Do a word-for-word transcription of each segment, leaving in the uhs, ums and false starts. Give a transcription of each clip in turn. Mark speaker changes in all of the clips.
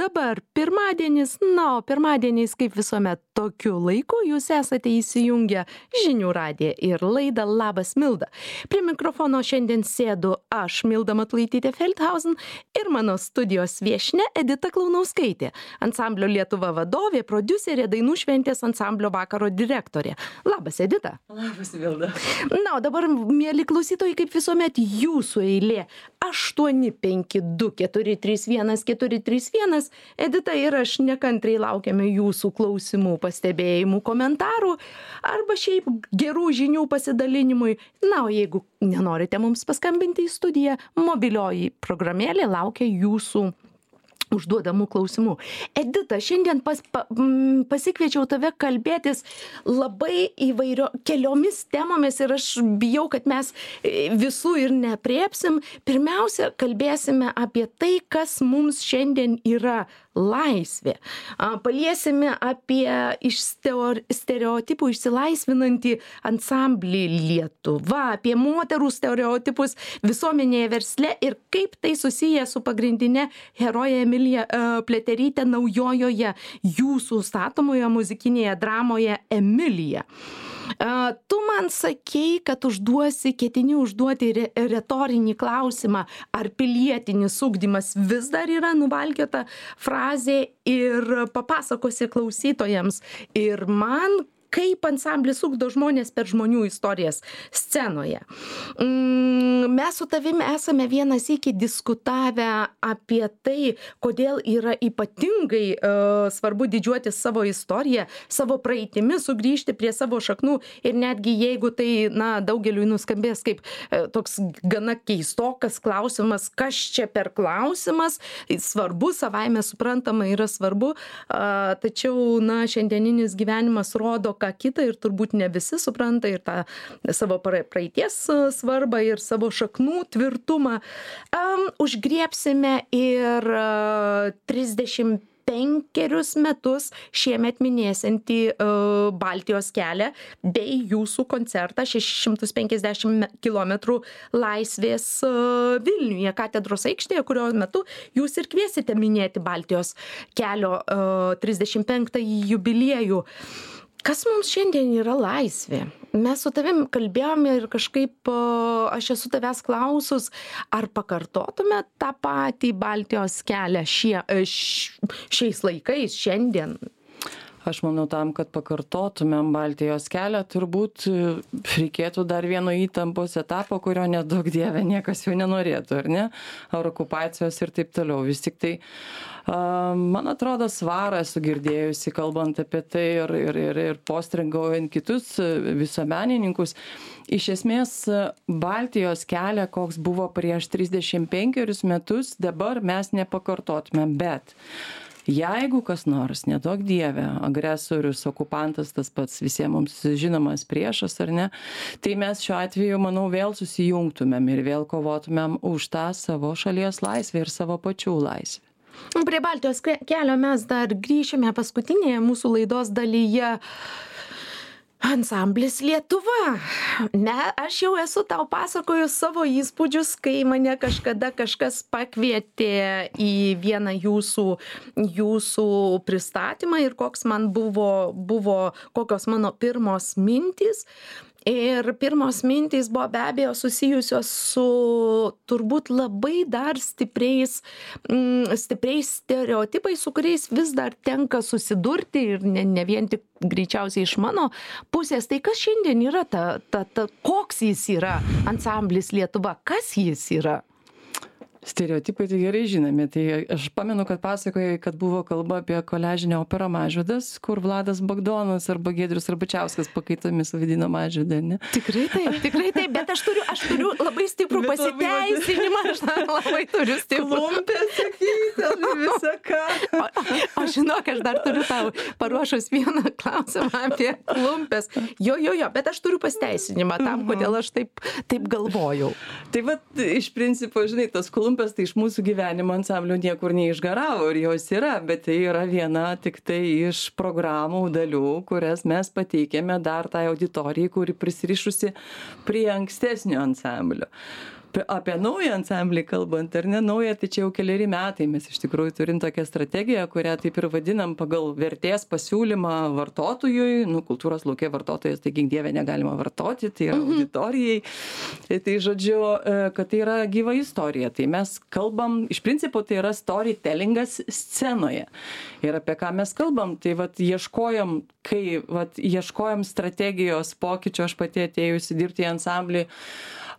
Speaker 1: dabar pirmadienis, na, o pirmadieniais kaip visuomet tokiu laiku jūs esate įsijungę Žinių radiją ir laidą Labas Milda. Prie mikrofono šiandien sėdu aš, Milda Matulaitytė Feldhausen, ir mano studijos viešnia Edita Klaunauskaitė, ansamblio Lietuva vadovė, prodiuserė, dainų šventės ansamblio vakaro direktorė. Labas, Edita.
Speaker 2: Labas, Milda.
Speaker 1: Na, o dabar, mieli klausytojai, kaip visuomet jūsų eilė. aštuoni penki du keturi trys vienas keturi trys vienas. Edita ir aš nekantriai laukiame jūsų klausimų, pastebėjimų, komentarų arba šiaip gerų žinių pasidalinimui. Na, o jeigu nenorite mums paskambinti į studiją, mobilioji programėlė laukia jūsų užduodamų klausimų. Edita, šiandien pas, pa, m, pasikviečiau tave kalbėtis labai įvairio keliomis temomis ir aš bijau, kad mes visų ir nepriepsim. Pirmiausia, kalbėsime apie tai, kas mums šiandien yra laisvė. Paliesime apie iš stereotipų išsilaisvinantį ansamblį Lietuva, apie moterų stereotipus visuomenėje, versle ir kaip tai susiję su pagrindine heroje Emilija Pliaterytė naujojoje jūsų statomoje muzikinėje dramoje Emilija. Tu man sakei, kad užduosi, ketini užduoti re, retorinį klausimą, ar pilietinis ugdymas vis dar yra nuvalkiota frazė, ir papasakosi klausytojams ir man, kaip ansamblis ugdo žmonės per žmonių istorijas scenoje. Mes su tavimi esame vieną sykį diskutavę apie tai, kodėl yra ypatingai uh, svarbu didžiuotis savo istoriją, savo praeitimi, sugrįžti prie savo šaknų ir netgi jeigu tai, na, daugeliui nuskambės kaip uh, toks gana keistokas klausimas, kas čia per klausimas, svarbu, savaime suprantama yra svarbu, uh, tačiau, na, šiandieninis gyvenimas rodo ką kita ir turbūt ne visi supranta ir tą savo praeities svarbą ir savo šaknų tvirtumą. Um, užgriebsime ir uh, trisdešimt penkerius metus šiemet minėsiantį uh, Baltijos kelią bei jūsų koncertą šešis šimtus penkiasdešimt kilometrų laisvės uh, Vilniuje, katedros aikštėje, kurio metu jūs ir kviesite minėti Baltijos kelio uh, trisdešimt penktąjį jubiliejų. Kas mums šiandien yra laisvė? Mes su tavim kalbėjome ir kažkaip aš esu tavęs klausus, ar pakartotume tą patį Baltijos kelią šie, šiais laikais, šiandien?
Speaker 2: Aš manau, tam, kad pakartotumėm Baltijos kelią, turbūt reikėtų dar vieno įtampos etapo, kurio nedaug dieve niekas jau nenorėtų, ar ne? Ar okupacijos ir taip toliau. Vis tik tai, uh, man atrodo, svarą esu girdėjusi, kalbant apie tai ir, ir, ir, ir postringaujant kitus visuomenininkus. Iš esmės, Baltijos kelią, koks buvo prieš trisdešimt penkerius metus, dabar mes nepakartotumėm, bet jeigu kas nors, neduok dieve, agresorius, okupantas, tas pats visiems mums žinomas priešas, ar ne, tai mes šiuo atveju, manau, vėl susijungtumėm ir vėl kovotumėm už tą savo šalies laisvę ir savo pačių laisvę.
Speaker 1: Prie Baltijos kelio mes dar grįšime paskutinėje mūsų laidos dalyje. Ansamblis Lietuva. Ne, aš jau esu tau pasakojus savo įspūdžius, kai mane kažkada kažkas pakvietė į vieną jūsų, jūsų pristatymą ir koks man buvo, buvo, kokios mano pirmos mintys. Ir pirmos mintys buvo be abejo susijusios su turbūt labai dar stipriais, mm, stipriais stereotipais, su kuriais vis dar tenka susidurti ir ne, ne vien tik greičiausiai iš mano pusės. Tai kas šiandien yra ta, ta, ta, koks jis yra ansamblis Lietuva, kas jis yra?
Speaker 2: Stereotipai tai gerai žinomi. Tai aš pamenu, kad pasakojai, kad buvo kalba apie koliažinę operą Mažvydas, kur Vladas Bagdonas arba Giedrius Arbačiauskas pakaitomis vadino Mažvydą, ne?
Speaker 1: Tikrai taip, tikrai taip, bet aš turiu, aš turiu labai stiprų pasiteisinimą, aš labai turiu stiprų.
Speaker 2: Klumpės, sakyti, visą ką.
Speaker 1: O, o žinok, aš dar turiu tau paruošus vieną klausimą apie klumpės. Jo, jo, jo, bet aš turiu pasiteisinimą tam, kodėl aš taip, taip galvojau.
Speaker 2: Tai va, iš principo, žinai, tos klumpės tai iš mūsų gyvenimo ansamblio niekur neišgaravo ir jos yra, bet tai yra viena tik tai iš programų dalių, kurias mes pateikėme dar tai auditorijai, kuri prisirišusi prie ankstesnio ansamblio. Apie naują ansamblį kalbant, ar ne naują, tai čia jau keliari metai mes iš tikrųjų turim tokią strategiją, kurią taip ir vadinam pagal vertės pasiūlymą vartotojui, nu, kultūros lauke vartotojas, tai gink dieve negalima vartoti, tai yra auditorijai. Tai žodžiu, kad tai yra gyva istorija. Tai mes kalbam, iš principo tai yra storytellingas scenoje. Ir apie ką mes kalbam, tai vat ieškojom, kai vat ieškojom strategijos pokyčio, aš pati atėjusi dirbti į ansamblį,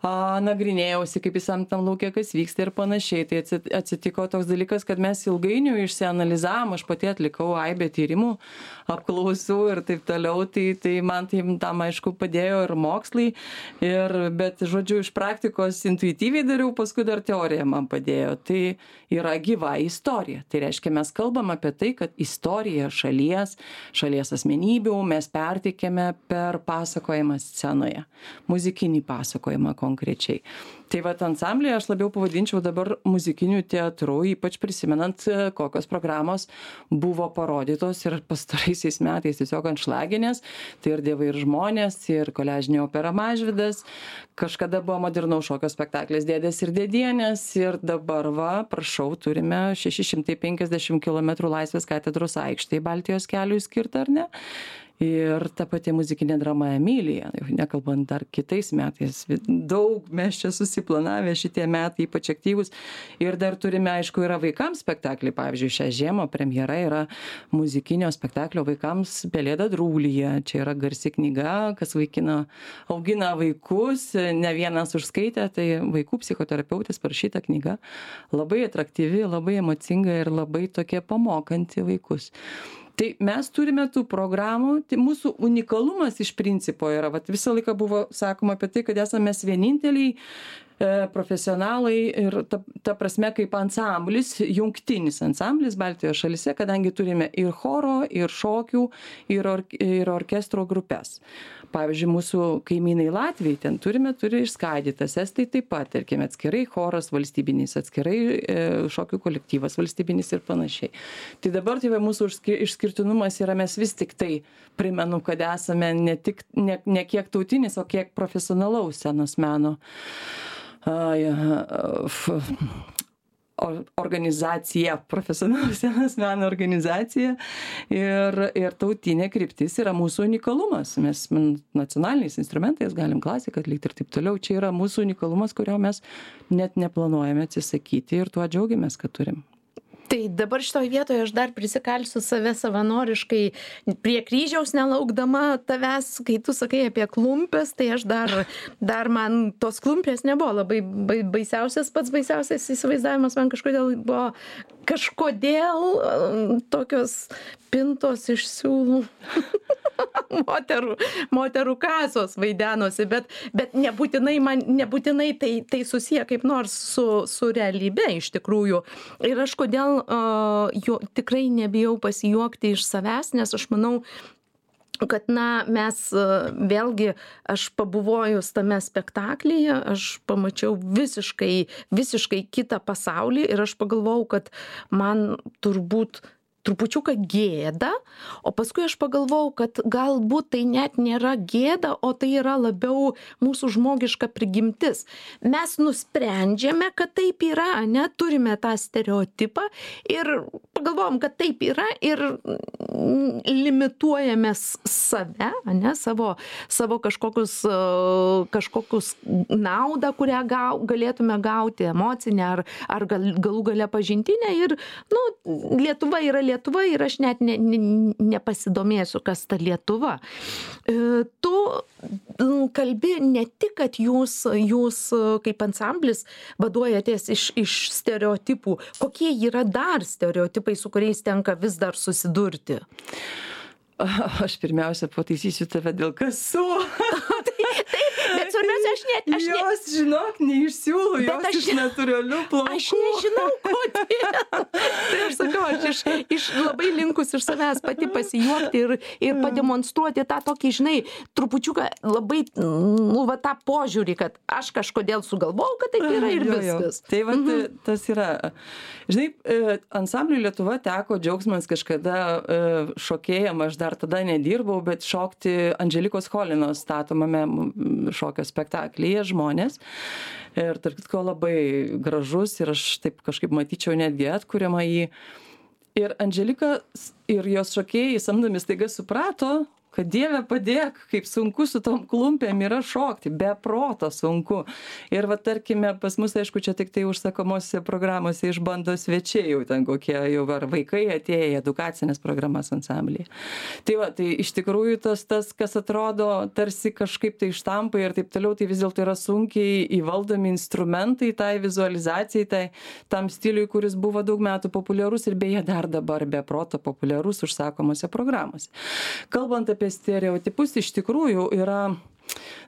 Speaker 2: A, nagrinėjausi, kaip visam tam laukia, kas vyksta ir panašiai. Tai atsitiko toks dalykas, kad mes ilgainiui išsianalizavom, aš pati atlikau aibę tyrimų, apklausų ir taip toliau, tai, tai man tai tam aišku padėjo ir mokslai, ir, bet žodžiu, iš praktikos intuityviai dariau, paskui dar teorija man padėjo. Tai yra gyva istorija. Tai reiškia, mes kalbam apie tai, kad istorija šalies, šalies asmenybių mes perteikėme per pasakojimą scenoje, muzikinį pasakojimą konkrečiai. Tai vat ansamblį aš labiau pavadinčiau dabar muzikiniu teatru, ypač prisimenant, kokios programos buvo parodytos ir pastaraisiais metais tiesiog anšlaginės, tai ir Dievai ir žmonės, ir koliažinė opera Mažvydas, kažkada buvo modernaus šokio spektaklis Dėdės ir Dėdienės, ir dabar va, prašau, turime šeši šimtai penkiasdešimt kilometrų Laisvės katedros aikštėje Baltijos keliui skirtą, ar ne? Ir ta pati muzikinė drama Emilija, nekalbant dar kitais metais, daug mes čia susiplanavę šitie metai, ypač aktyvus. Ir dar turime, aišku, yra vaikams spektaklį, pavyzdžiui, šią žiemą premjera yra muzikinio spektaklio vaikams Pelėda Drūlyje. Čia yra garsi knyga, kas vaikina, augina vaikus, ne vienas užskaitė, tai vaikų psichoterapeutės parašyta knyga. Labai atraktyvi, labai emocinga ir labai tokia pamokanti vaikus. Tai mes turime tų programų, tai mūsų unikalumas iš principo yra, vat visą laiką buvo sakoma apie tai, kad esame mes vieninteliai e, profesionalai ir ta, ta prasme kaip ansamblis, jungtinis ansamblis Baltijos šalyse, kadangi turime ir choro, ir šokių, ir, or, ir orkestro grupės. Pavyzdžiui, mūsų kaimynai Latvijai ten turime, turi išskaidytas, estai taip pat, tarkime, atskirai choras valstybinis, atskirai e, šokių kolektyvas valstybinis ir panašiai. Tai dabar tai mūsų išskirtinumas yra, mes vis tik tai primenu, kad esame ne tik, ne, ne kiek tautinis, o kiek profesionalaus scenos meno Ai, f, organizacija, profesionalus scenos meno organizacija ir, ir tautinė kryptis yra mūsų unikalumas. Mes nacionaliniais instrumentais galim klasiką atlikti ir taip toliau. Čia yra mūsų unikalumas, kurio mes net neplanuojame atsisakyti ir tuo džiaugiamės, kad turim.
Speaker 1: Tai dabar šitoj vietoje aš dar prisikalsiu save savanoriškai prie kryžiaus nelaukdama tavęs, kai tu sakai apie klumpes, tai aš dar, dar man tos klumpės nebuvo labai baisiausias, pats baisiausias įsivaizdavimas man kažkodėl buvo kažkodėl tokios pintos iš siūlų. moterų, moterų kasos vaidenosi, bet, bet nebūtinai, man, nebūtinai tai, tai susiję kaip nors su, su realybe iš tikrųjų. Ir aš kodėl uh, jo, tikrai nebijau pasijuokti iš savęs, nes aš manau, kad, na, mes vėlgi, aš pabuvojus tame spektaklyje, aš pamačiau visiškai, visiškai kitą pasaulį ir aš pagalvojau, kad man turbūt trupučiuką gėda, o paskui aš pagalvojau, kad galbūt tai net nėra gėda, o tai yra labiau mūsų žmogiška prigimtis. Mes nusprendžiame, kad taip yra, ne, turime tą stereotipą ir pagalvojom, kad taip yra ir limituojame save, ne, savo, savo kažkokius, kažkokius naudą, kurią gau, galėtume gauti, emocinę ar, ar gal, galų gale pažintinę ir, nu, Lietuva yra Lietuva ir aš net ne, ne, nepasidomėsiu, kas ta Lietuva. E, tu kalbi ne tik, kad jūs, jūs kaip ansamblis vaduojatės iš, iš stereotipų. Kokie yra dar stereotipai, su kuriais tenka vis dar susidurti?
Speaker 2: Aš pirmiausia pataisysiu tave dėl kasų.
Speaker 1: Taip, bet svarbiausia, aš net... Aš
Speaker 2: jos, ne... žinok, neišsiūlau, jos aš, iš natūralių plaukų.
Speaker 1: Aš nežinau, kodėl. Tai aš sakau, aš iš, iš labai linkus iš savęs pati pasijuokti ir, ir pademonstruoti tą tokį, žinai, trupučiuką labai, nu, va, tą požiūrį, kad aš kažkodėl sugalvojau, kad taip yra ir
Speaker 2: jo,
Speaker 1: viskas.
Speaker 2: Jo. Tai va, mhm. tas yra. Žinai, ansambliui Lietuva teko džiaugsmas kažkada šokėjam, aš dar tada nedirbau, bet šokti Andželikos Cholinos statomame šokio spektaklyje žmonės. Ir tarp kitko labai gražus ir aš taip kažkaip matyčiau netgi atkuriamą jį. Ir Andželika ir jos šokėjai samdomi staiga suprato, kad Dieve padėk, kaip sunku su tom klumpėm yra šokti, be proto sunku. Ir va tarkime, pas mus, aišku, čia tik tai užsakomosiose programose išbando svečiai jau ten kokie jau ar vaikai atėję į edukacinės programas ansamblyje. Tai va, tai iš tikrųjų tas, tas, kas atrodo tarsi kažkaip tai štampai ir taip toliau, tai vis dėlto yra sunkiai įvaldomi instrumentai tai vizualizacijai, tai tam stiliui, kuris buvo daug metų populiarus ir beje dar dabar be proto populiarus užsakomose programose. Kalbant apie apie stereotipus, iš tikrųjų yra,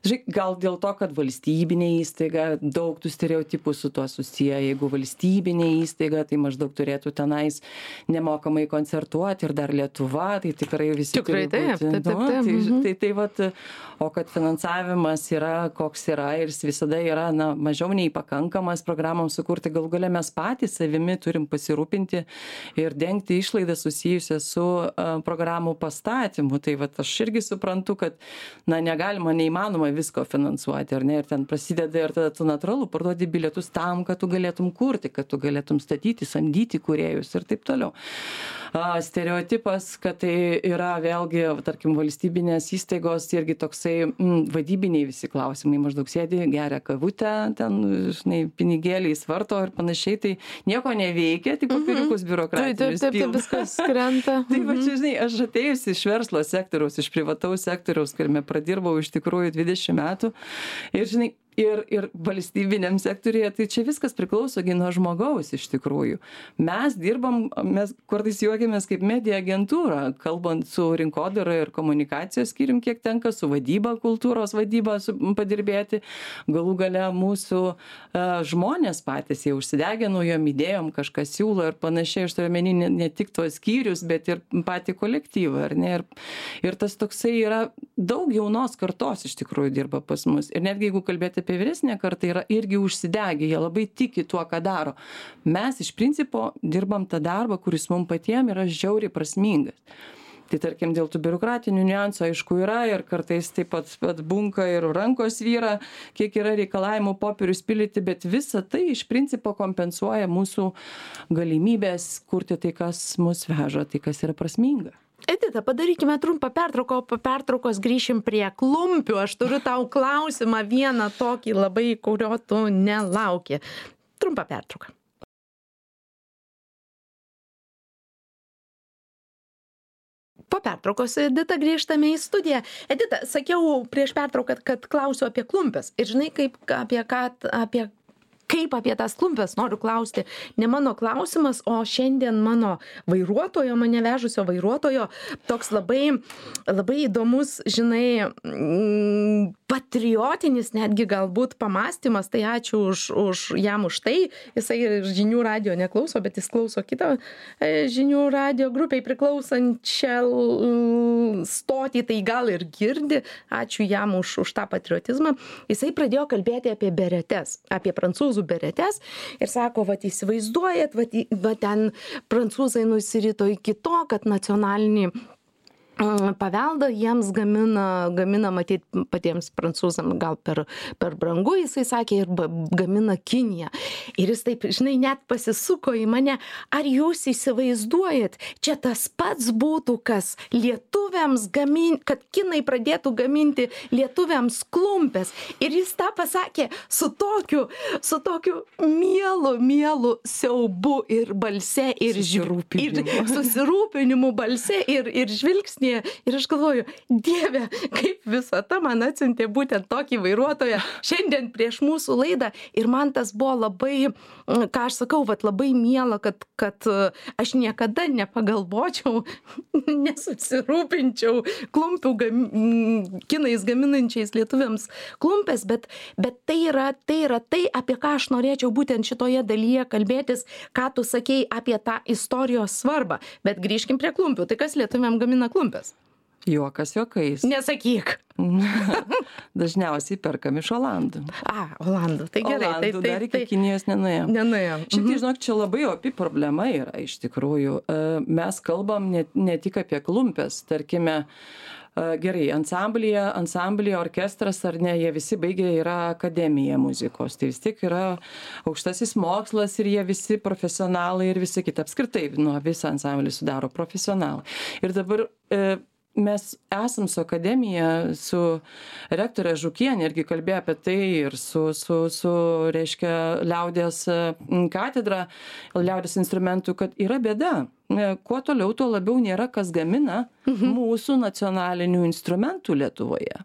Speaker 2: žiūrėk, gal dėl to, kad valstybinė įstaiga, daug tų stereotipų su tuo susiję. Jeigu valstybinė įstaiga, tai maždaug turėtų tenais nemokamai koncertuoti ir dar Lietuva, tai tikrai visi
Speaker 1: tikrai
Speaker 2: turi būti.
Speaker 1: Taip, taip, taip, taip.
Speaker 2: Tai,
Speaker 1: Mhm.
Speaker 2: tai, tai vat, o kad finansavimas yra, koks yra ir jis visada yra na, mažiau nei pakankamas programoms sukurti, gal galia mes patys savimi turim pasirūpinti ir dengti išlaidas susijusias su uh, programų pastatymu. Tai vat, aš irgi suprantu, kad na, negalima, neįmanoma visko finansuoti, ar ne, ir ten prasideda ir tada tu natūralu parduodi bilietus tam, kad tu galėtum kurti, kad tu galėtum statyti, samdyti kūrėjus ir taip toliau. A, stereotipas, kad tai yra vėlgi, tarkim, valstybinės įstaigos irgi toksai mm, vadybiniai visi klausimai, maždaug sėdi, geria kavutę, ten, žinai, pinigėliais varto ir panašiai, tai nieko neveikia, tik popieriukus biurokratinius
Speaker 1: Taip, taip, taip, viskas krenta.
Speaker 2: Tai va čia, žinai, aš atėjusi iš verslo sektoriaus, iš privataus sektoriaus, kuriame pradirbau iš tikrųjų dvidešimt metų. Ir, žinai, ir, ir valstybiniam sektorėje, tai čia viskas priklauso nuo žmogaus iš tikrųjų. Mes dirbam, mes kartais juokiamės kaip medija agentūra, kalbant su rinkodara ir komunikacijos skyrium, kiek tenka su vadyba, kultūros vadyba su, padirbėti. Galų gale mūsų uh, žmonės patys jau užsidegė naujom idėjom, kažkas siūlo ir panašiai, aš turiu omeny ne, ne tik tuos skyrius, bet ir patį kolektyvą. Ar ne? Ir, ir tas toksai yra daug jaunos kartos iš tikrųjų dirba pas mus. Ir netgi jeigu kalbėti apie vyresnę kartą, yra irgi užsidegę, jie labai tiki tuo, ką daro. Mes iš principo dirbam tą darbą, kuris mums patiems yra žiauriai prasmingas. Tai tarkim, dėl tų biurokratinių niuansų, aišku, yra ir kartais taip pat atbunka ir rankos vyra, kiek yra reikalavimų popierius pildyti, bet visa tai iš principo kompensuoja mūsų galimybės kurti tai, kas mus veža, tai, kas yra prasminga.
Speaker 1: Edita, padarykime trumpą pertrauką, o po pertraukos grįšim prie klumpių. Aš turiu tau klausimą vieną tokį labai, kurio tu nelauki. Trumpą pertrauką. Po pertraukos, Edita, grįžtame į studiją. Edita, sakiau prieš pertrauką, kad klausiu apie klumpes. Ir žinai, kaip, apie ką, apie kaip apie tas klumpes noriu klausti. Ne mano klausimas, o šiandien mano vairuotojo, mane vežusio vairuotojo, toks labai, labai įdomus, žinai, patriotinis netgi galbūt pamąstymas. Tai ačiū už, už jam už tai. Jisai žinių radio neklauso, bet jis klauso kitą žinių radio grupiai priklausančią stotį, tai gal ir girdi. Ačiū jam už, už tą patriotizmą. Jisai pradėjo kalbėti apie beretes, apie prancūzų beretes ir sako, vat įsivaizduojat, vat, vat ten prancūzai nusirito iki to, kad nacionalinį paveldą jiems gamina, gamina matyt patiems prancūzams gal per, per brangu, jisai sakė, ir gamina Kinija. Ir jis taip, žinai, net pasisuko į mane, ar jūs įsivaizduojat, čia tas pats būtų, kas lietuviams gamin, kad kinai pradėtų gaminti lietuviams klumpes. Ir jis tą pasakė su tokiu, su tokiu mielu, mielu siaubu ir balse, ir, ir susirūpinimu balse, ir, ir žvilgsnį. Ir aš galvoju, Dieve, kaip visata man atsiuntė būtent tokį vairuotoją šiandien prieš mūsų laidą. Ir man tas buvo labai, ką aš sakau, vat, labai miela, kad, kad aš niekada nepagalvočiau, nesusirūpinčiau klumpių gam, kinais gaminančiais lietuviams klumpes, bet, bet tai, yra, tai yra tai, apie ką aš norėčiau būtent šitoje dalyje kalbėtis, ką tu sakei apie tą istorijos svarbą. Bet grįžkim prie klumpių. Tai kas lietuviam gamina klumpes?
Speaker 2: Juokas juokais.
Speaker 1: Nesakyk.
Speaker 2: Dažniausiai perkam iš Olandų.
Speaker 1: A, Olandų. Tai gerai.
Speaker 2: Olandų
Speaker 1: tai, tai,
Speaker 2: dar iki
Speaker 1: tai,
Speaker 2: Kinijos nenuėjom.
Speaker 1: Nenuėjom.
Speaker 2: Šiaip tai, žinok, čia labai opi problema yra iš tikrųjų. Mes kalbam ne, ne tik apie klumpes, tarkime, gerai, ansamblyje, ansamblyje, orkestras ar ne, jie visi baigė yra akademija muzikos, tai vis tiek yra aukštasis mokslas ir jie visi profesionalai ir visi kiti apskritai, nu, visą ansamblį sudaro profesionalai. Ir dabar e, mes esam su akademija, su rektorė Žukienė irgi kalbėjo apie tai ir su, su, su reiškia, liaudės katedra, liaudės instrumentų, kad yra bėda. Kuo toliau, tuo labiau nėra kas gamina mhm. mūsų nacionalinių instrumentų Lietuvoje.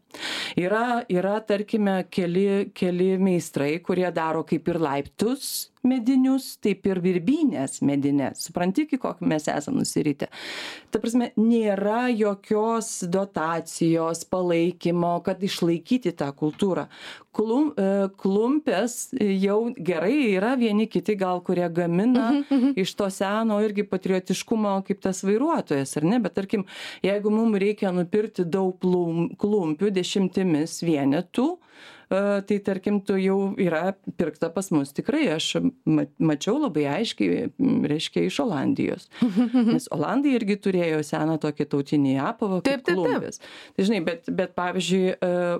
Speaker 2: Yra, yra tarkime, keli, keli meistrai, kurie daro kaip ir laiptus medinius, taip ir virbynės medinės. Supranti, iki kokį mes esam nusiritę. Ta prasme, nėra jokios dotacijos, palaikymo, kad išlaikyti tą kultūrą. Klum, klumpės jau gerai yra vieni kiti gal, kurie gamina mhm, mhm. iš to seno irgi patriotiškumo kaip tas vairuotojas, ar ne? Bet tarkim, jeigu mums reikia nupirkti daug plum, klumpių dešimtimis vienetų, tai tarkim, tu jau yra pirkta pas mus. Tikrai aš mačiau labai aiškiai, reiškia, iš Olandijos. Nes Olandai irgi turėjo seną tokį tautinį apavą kaip klumpės. Tai žinai, bet, bet pavyzdžiui,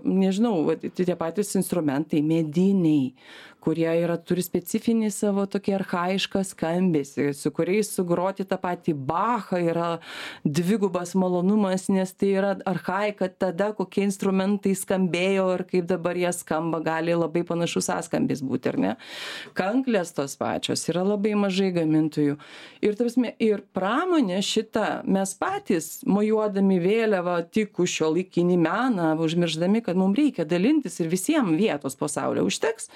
Speaker 2: nežinau, tie patys instrumentai, mediniai, kurie yra, turi specifinį savo tokį archaišką skambesį, su kuriais sugroti tą patį Bachą yra dvigubas malonumas, nes tai yra archaika tada, kokie instrumentai skambėjo ir kaip dabar jie skamba, gali labai panašus sąskambis būti, ar ne? Kanklės tos pačios, yra labai mažai gamintojų. Ir, tarpsime, ir pramonė šita, mes patys, mojuodami vėliavą tik už šiuolaikinį meną, užmirždami, kad mums reikia dalintis ir visiems vietos pasaulio užteks,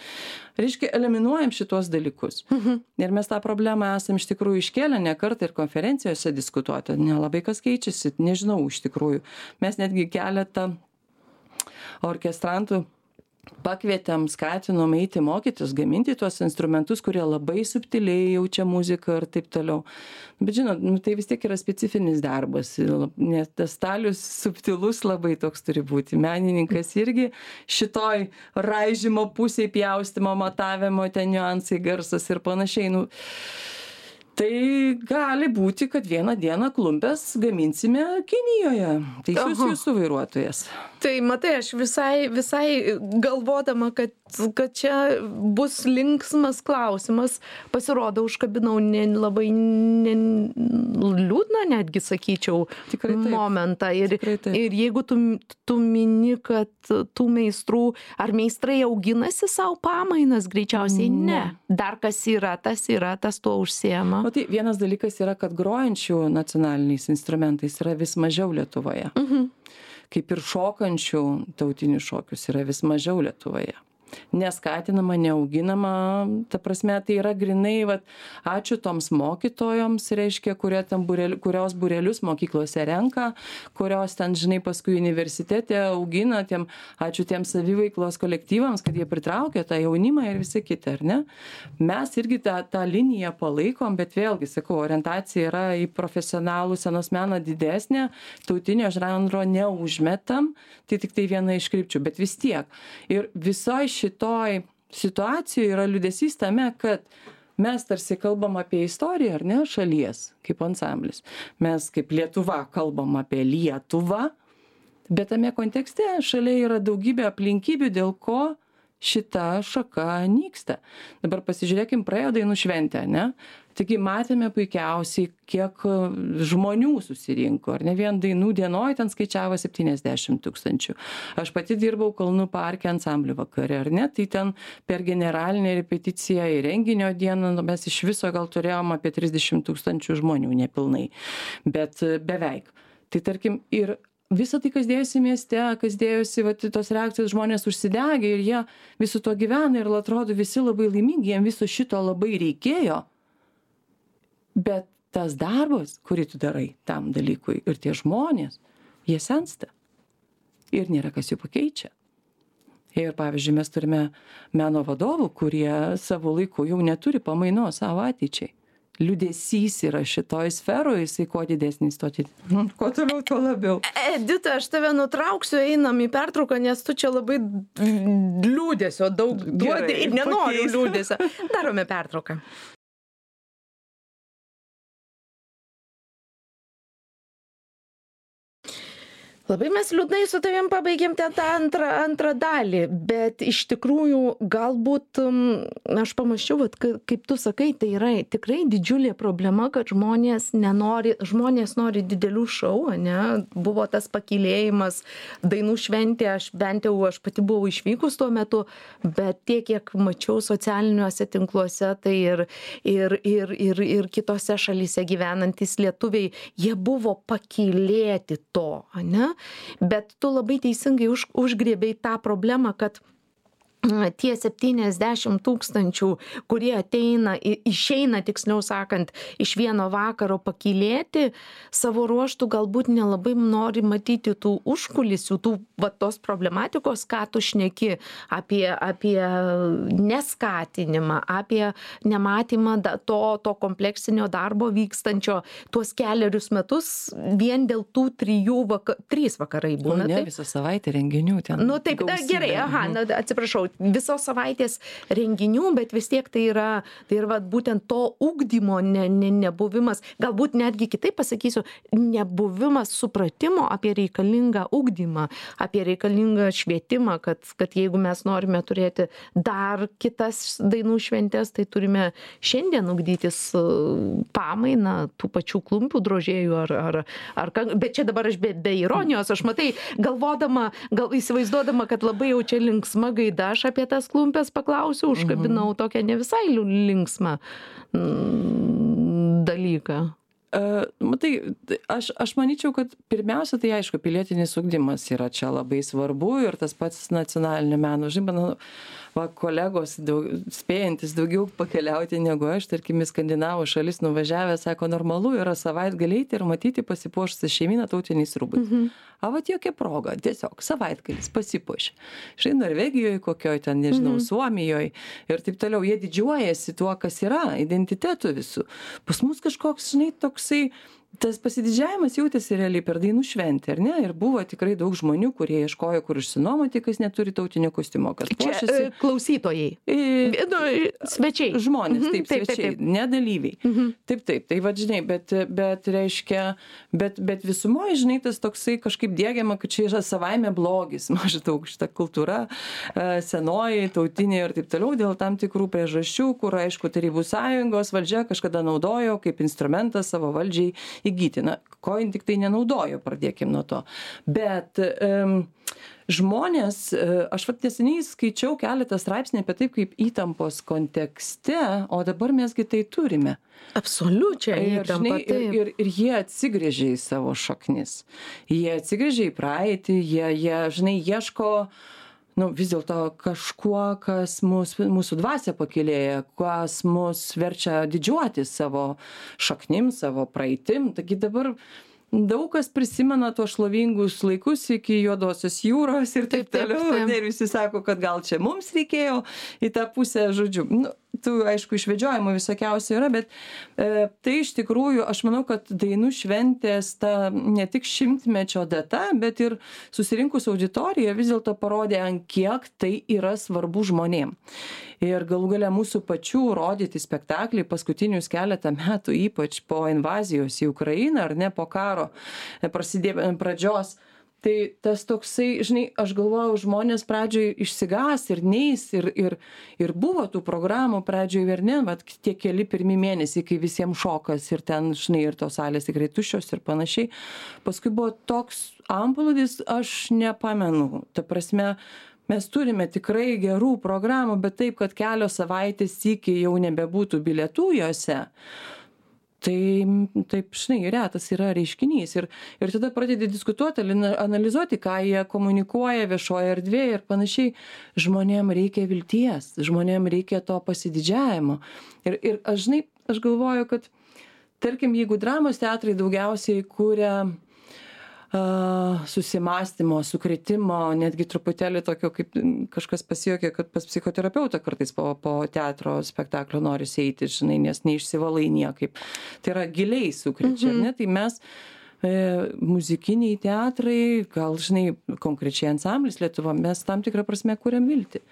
Speaker 2: reiškia, eliminuojam šitos dalykus. Mhm. Ir mes tą problemą esam iš tikrųjų iškėlę ne kartą ir konferencijose diskutuoti. Nelabai kas keičiasi, nežinau iš tikrųjų. Mes netgi keletą orkestrantų pakvietėm, skatinom eiti mokytis, gaminti tuos instrumentus, kurie labai subtiliai jaučia muziką ir taip toliau. Bet žinot, nu, tai vis tiek yra specifinis darbas, nes tas stalius subtilus labai toks turi būti. Menininkas irgi šitoj raižymo pusėj, pjaustimo, matavimo, ten niuansai, garsas ir panašiai. Nu, tai gali būti, kad vieną dieną klumpės gaminsime Kinijoje. Teisus jūsų vairuotojas.
Speaker 1: Tai matai, aš visai, visai galvodama, kad, kad čia bus linksmas klausimas, pasirodo, užkabinau ne, labai ne, liūdną, netgi sakyčiau, momentą. Ir, ir jeigu tu, tu mini, kad tų meistrų, ar meistrai auginasi savo pamainas, greičiausiai ne. ne. Dar kas yra, tas yra, tas tuo užsiema.
Speaker 2: O tai vienas dalykas yra, kad grojančių nacionaliniais instrumentais yra vis mažiau Lietuvoje. Mhm. Kaip ir šokančių tautinius šokius yra vis mažiau Lietuvoje. Neskatinama, neauginama, ta prasme, tai yra grinai, vat, ačiū toms mokytojoms, reiškia, kurie ten burel, kurios burelius mokyklose renka, kurios ten, žinai, paskui universitete augina, tiem, ačiū tiems saviveiklos kolektyvams, kad jie pritraukia tą jaunimą ir visi kiti, ar ne? Mes irgi tą, tą liniją palaikom, bet vėlgi, sakau, orientacija yra į profesionalų scenos meną didesnė, tautinio žanro neužmetam, tai tik tai viena iš krypčių, bet vis tiek. Ir visoje šitoj situacijoje yra liūdesys tame, kad mes tarsi kalbam apie istoriją, ar ne, šalies, kaip ansamblis. Mes kaip Lietuva kalbam apie Lietuvą, bet tame kontekste šalia yra daugybė aplinkybių, dėl ko šita šaka nyksta. Dabar pasižiūrėkim, praėjo dainų šventę, ne? Taigi matėme puikiausiai, kiek žmonių susirinko, ar ne, vien dainų dienoj ten skaičiavo septyniasdešimt tūkstančių. Aš pati dirbau Kalnų parke ansamblių vakare, ar ne, tai ten per generalinę repeticiją į renginio dieną nu, mes iš viso gal turėjom apie trisdešimt tūkstančių žmonių, nepilnai, bet beveik. Tai tarkim ir visą tai, kas dėjosi mieste, kas dėjosi, va, tos reakcijos, žmonės užsidegė ir jie visu to gyvena ir atrodo visi labai laimingi, jiems viso šito labai reikėjo. Bet tas darbas, kurį tu darai tam dalykui ir tie žmonės, jie sensta ir nėra kas jų pakeičia. Ir pavyzdžiui, mes turime meno vadovų, kurie savo laiku jau neturi pamaino savo ateičiai. Liūdesys yra šitoj sferoje, jisai kuo didesnis, to didesnis. Kuo toliau, tuo labiau.
Speaker 1: Edita, aš tave nutrauksiu, einam į pertrauką, nes tu čia labai liūdesio daug duodi ir nenori liūdesio. Darome pertrauką. Labai mes liūdnai su tavim pabaigėm ten tą antrą, antrą dalį, bet iš tikrųjų galbūt, aš pamačiau, vat, kaip tu sakai, tai yra tikrai didžiulė problema, kad žmonės nenori, žmonės nori didelių šou, ne? Buvo tas pakylėjimas, dainų šventė, aš bent jau, aš pati buvau išvykus tuo metu, bet tiek, kiek mačiau socialiniuose tinkluose, tai ir, ir, ir, ir, ir kitose šalyse gyvenantys lietuviai, jie buvo pakylėti to, ne? Bet tu labai teisingai už, užgrėbei tą problemą, kad tie septyniasdešimt tūkstančių, kurie ateina, išeina, tiksliau sakant, iš vieno vakaro pakylėti, savo ruoštų galbūt nelabai nori matyti tų užkulisių, tų va, tos problematikos, ką tu šneki apie, apie neskatinimą, apie nematymą to, to kompleksinio darbo vykstančio tuos keliarius metus vien dėl tų trijų, vaka, trys vakarai būna.
Speaker 2: Nu, ne, visą savaitę renginių ten.
Speaker 1: Nu taip, da, gerai, aha, na, atsiprašau. Visos savaitės renginių, bet vis tiek tai yra, tai yra būtent to ugdymo ne, ne, nebuvimas, galbūt netgi kitaip pasakysiu, nebuvimas supratimo apie reikalingą ugdymą, apie reikalingą švietimą, kad, kad jeigu mes norime turėti dar kitas dainų šventės, tai turime šiandien ugdytis pamainą tų pačių klumpių drožėjų, ar, ar, ar, bet čia dabar aš be, be ironijos, aš matai, galvodama, gal įsivaizduodama, kad labai jau čia linksma gaida, aš apie tas klumpes paklausiau, užkabinau mhm. tokią ne visai linksmą dalyką.
Speaker 2: Uh, matai, aš, aš manyčiau, kad pirmiausia, tai aišku, pilietinis ugdymas yra čia labai svarbu ir tas pats nacionalinio meno, žinoma, va, kolegos daug, spėjantis daugiau pakeliauti negu aš, tarkim, į Skandinavų šalis nuvažiavę, sako, normalu yra savaitgaliai ir matyti pasipuošusią šeimyną tautiniais rūbais. Mhm. A, vat jokia proga, tiesiog savaitgalis pasipuošia. Štai Norvegijoje, kokioje ten, nežinau, mhm. Suomijoje ir taip toliau, jie didžiuojasi tuo, kas yra, identitetu visų. Pas mus kažkoks, žinai, toksai, tas pasididžiavimas jautėsi realiai per dainų šventę, ar ne? Ir buvo tikrai daug žmonių, kurie ieškojo, kur išsinuomoti, kas neturi tautinio kostiumo, kas puošiasi.
Speaker 1: Čia e, klausytojai. E, nu, svečiai.
Speaker 2: Žmonės,
Speaker 1: mhm,
Speaker 2: taip,
Speaker 1: taip,
Speaker 2: svečiai,
Speaker 1: taip, taip.
Speaker 2: ne dalyviai. Mhm. Taip, taip, tai va, žinai, bet, bet reiškia, bet, bet visumoje, žinai, tas toksai kažkaip diegiama, kad čia yra savaime blogis, maždaug šita kultūra, senoji, tautinė ir taip toliau, dėl tam tikrų priežasčių, kur, aišku, Tarybų sąjungos valdžia kažkada naudojo kaip instrumentą savo valdžiai įgyti. Na, ko jin tik tai nenaudojo, pradėkim nuo to. Bet um, žmonės, aš vat neseniai skaičiau keletą straipsnių apie taip, kaip įtampos kontekste, o dabar mesgi tai turime.
Speaker 1: Absoliučiai įtampa,
Speaker 2: ir, ir, ir, ir jie atsigrėžia į savo šaknis. Jie atsigrėžia į praeitį, jie, jie žinai, ieško nu, vis dėlto kažkuo, kas mus, mūsų dvasia pakylėja, kas mus verčia didžiuotis savo šaknim, savo praeitim. Taigi dabar daug kas prisimena tuos šlovingus laikus iki Juodosios jūros ir taip, taip toliau. Taip, taip. Ir visi sako, kad gal čia mums reikėjo į tą pusę, žodžiu. Nu, tų, aišku, išvedžiojimų visokiausių yra, bet e, tai iš tikrųjų, aš manau, kad dainų šventės ta ne tik šimtmečio data, bet ir susirinkus auditoriją vis dėlto parodė, ant kiek tai yra svarbu žmonėm. Ir galų gale mūsų pačių rodyti spektakliai paskutinius keletą metų, ypač po invazijos į Ukrainą, ar ne po karo prasidėjo pradžios, tai tas toksai, žinai, aš galvojau, žmonės pradžioj išsigas ir neis, ir, ir, ir buvo tų programų pradžioj ir ne, bet tie keli pirmi mėnesiai, kai visiems šokas ir ten, žinai, ir tos salės tikrai tuščios ir panašiai. Paskui buvo toks amplūdis, aš nepamenu, ta prasme, mes turime tikrai gerų programų, bet taip, kad kelios savaitės iki jau nebebūtų bilietų jose. Tai taip, žinai, retas yra reiškinys. Ir, ir tada pradedi diskutuoti, analizuoti, ką jie komunikuoja viešoje erdvėje ir panašiai. Žmonėm reikia vilties, žmonėm reikia to pasididžiavimo. Ir, ir aš, žinai, aš galvoju, kad, tarkim, jeigu dramos teatrai daugiausiai kūrė Uh, susimąstymo, sukretimo, netgi truputėlį tokio, kaip kažkas pasijuokė, kad pas psichoterapeutą kartais po, po teatro spektaklio nori eiti, žinai, nes neišsivalai niekaip. Tai yra giliai sukrečia, mm-hmm. ne? Tai mes e, muzikiniai teatrai, gal, žinai, konkrečiai ansamblis Lietuva, mes tam tikrą prasme kuriam viltį.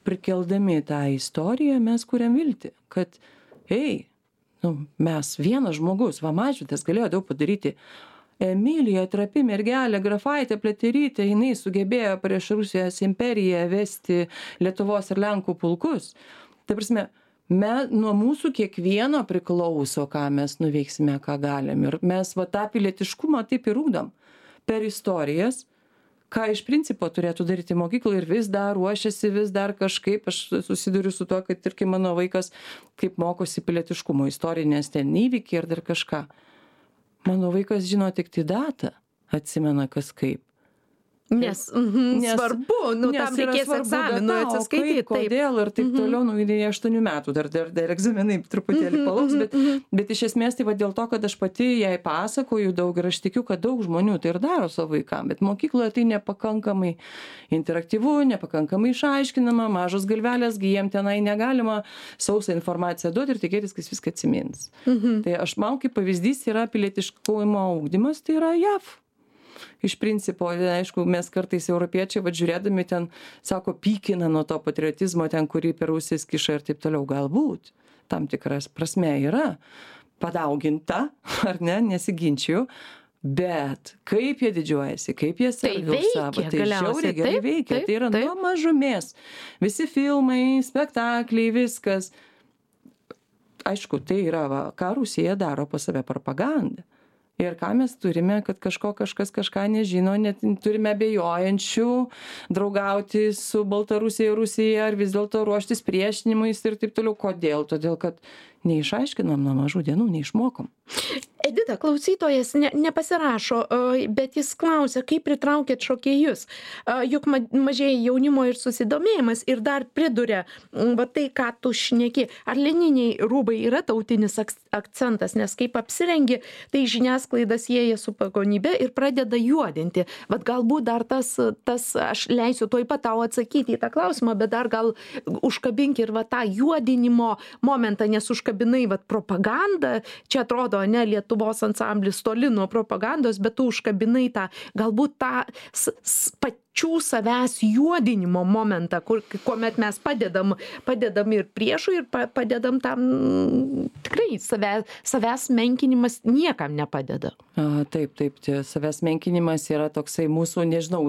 Speaker 2: Prikeldami tą istoriją mes kuriam viltį, kad, ei, nu, mes vienas žmogus, va, Mažvydas galėjo daug padaryti. Emilija, trapi mergelė, Grafaitė, Pliaterytė, jinai sugebėjo prieš Rusijos imperiją vesti Lietuvos ir Lenkų pulkus. Ta prasme, me, nuo mūsų kiekvieno priklauso, ką mes nuveiksime, ką galim. Ir mes va tą pilietiškumą taip ir ugdom per istorijas, ką iš principo turėtų daryti mokykla ir vis dar ruošiasi, vis dar kažkaip. Aš susiduriu su to, kad ir kai mano vaikas kaip mokosi pilietiškumo istorinės ten įvykiai ir dar kažką. Mano vaikas žino tik tai datą, atsimena kas kaip.
Speaker 1: Nes, mhm,
Speaker 2: Nes-
Speaker 1: svarbu, nu,
Speaker 2: Nes
Speaker 1: tam
Speaker 2: yra
Speaker 1: reikės
Speaker 2: svarbu
Speaker 1: egzaminų
Speaker 2: data, o
Speaker 1: atsiskaityti.
Speaker 2: kaip, kodėl ir taip toliau, nu, idėja aštuonių metų, dar, dar, dar egzaminai truputėlį palauks, bet, bet iš esmės tai va dėl to, kad aš pati jai pasakoju daug ir aš tikiu, kad daug žmonių tai ir daro savo vaikam, bet mokykloje tai nepakankamai interaktyvu, nepakankamai išaiškinama, mažos galvelės, gi jiem tenai negalima sausą informaciją duoti ir tikėtis, kad jis viską atsimins. Tai aš man kaip pavyzdys yra pilietiškumo ugdymas, tai yra J A V. Iš principo, aišku, mes kartais europiečiai, va žiūrėdami ten, sako, pykina nuo to patriotizmo ten, kurį per ausis kiša ir taip toliau. Galbūt tam tikras prasme yra padauginta, ar ne, nesiginčiu, bet kaip jie didžiuojasi, kaip jie serga už
Speaker 1: veikia
Speaker 2: savo, tai
Speaker 1: galiausiai,
Speaker 2: žiauriai gerai
Speaker 1: taip,
Speaker 2: veikia.
Speaker 1: taip,
Speaker 2: Tai yra
Speaker 1: taip.
Speaker 2: nuo mažumės. Visi filmai, spektakliai, viskas. Aišku, tai yra, va, ką Rusija daro pas save propagandą. Ir ką mes turime, kad kažko kažkas kažką nežino, net turime abejojančių, draugauti su Baltarusija ir Rusija, ar vis dėlto ruoštis priešinimuis ir taip toliau. Kodėl? Todėl, kad neišaiškinom nuo mažų dienų, neišmokom.
Speaker 1: Edita, klausytojas ne, nepasirašo, o, bet jis klausia, kaip pritraukėt šokėjus. A, Juk ma- mažėja jaunimo ir susidomėjimas ir dar priduria, m, va tai, ką tu šneki, ar lininiai rūbai yra tautinis aks- akcentas, nes kaip apsirengi, tai žiniasklaida sieja su pagonybe ir pradeda juodinti. Vat galbūt dar tas, tas, aš leisiu tuoj pat tau atsakyti į tą klausimą, bet dar gal užkabink ir va tą juodinimo momentą, nes užkabinai vat propagandą, čia atrodo, ne, Lietuvos ansamblis toli nuo propagandos, bet tu užkabinai tą, galbūt tą s, s, pačių savęs juodinimo momentą, kur, kuomet mes padedam, padedam ir priešui ir pa, padedam tam, mm, tikrai savęs, savęs menkinimas niekam nepadeda.
Speaker 2: A, taip, taip, tie savęs menkinimas yra toksai mūsų, nežinau,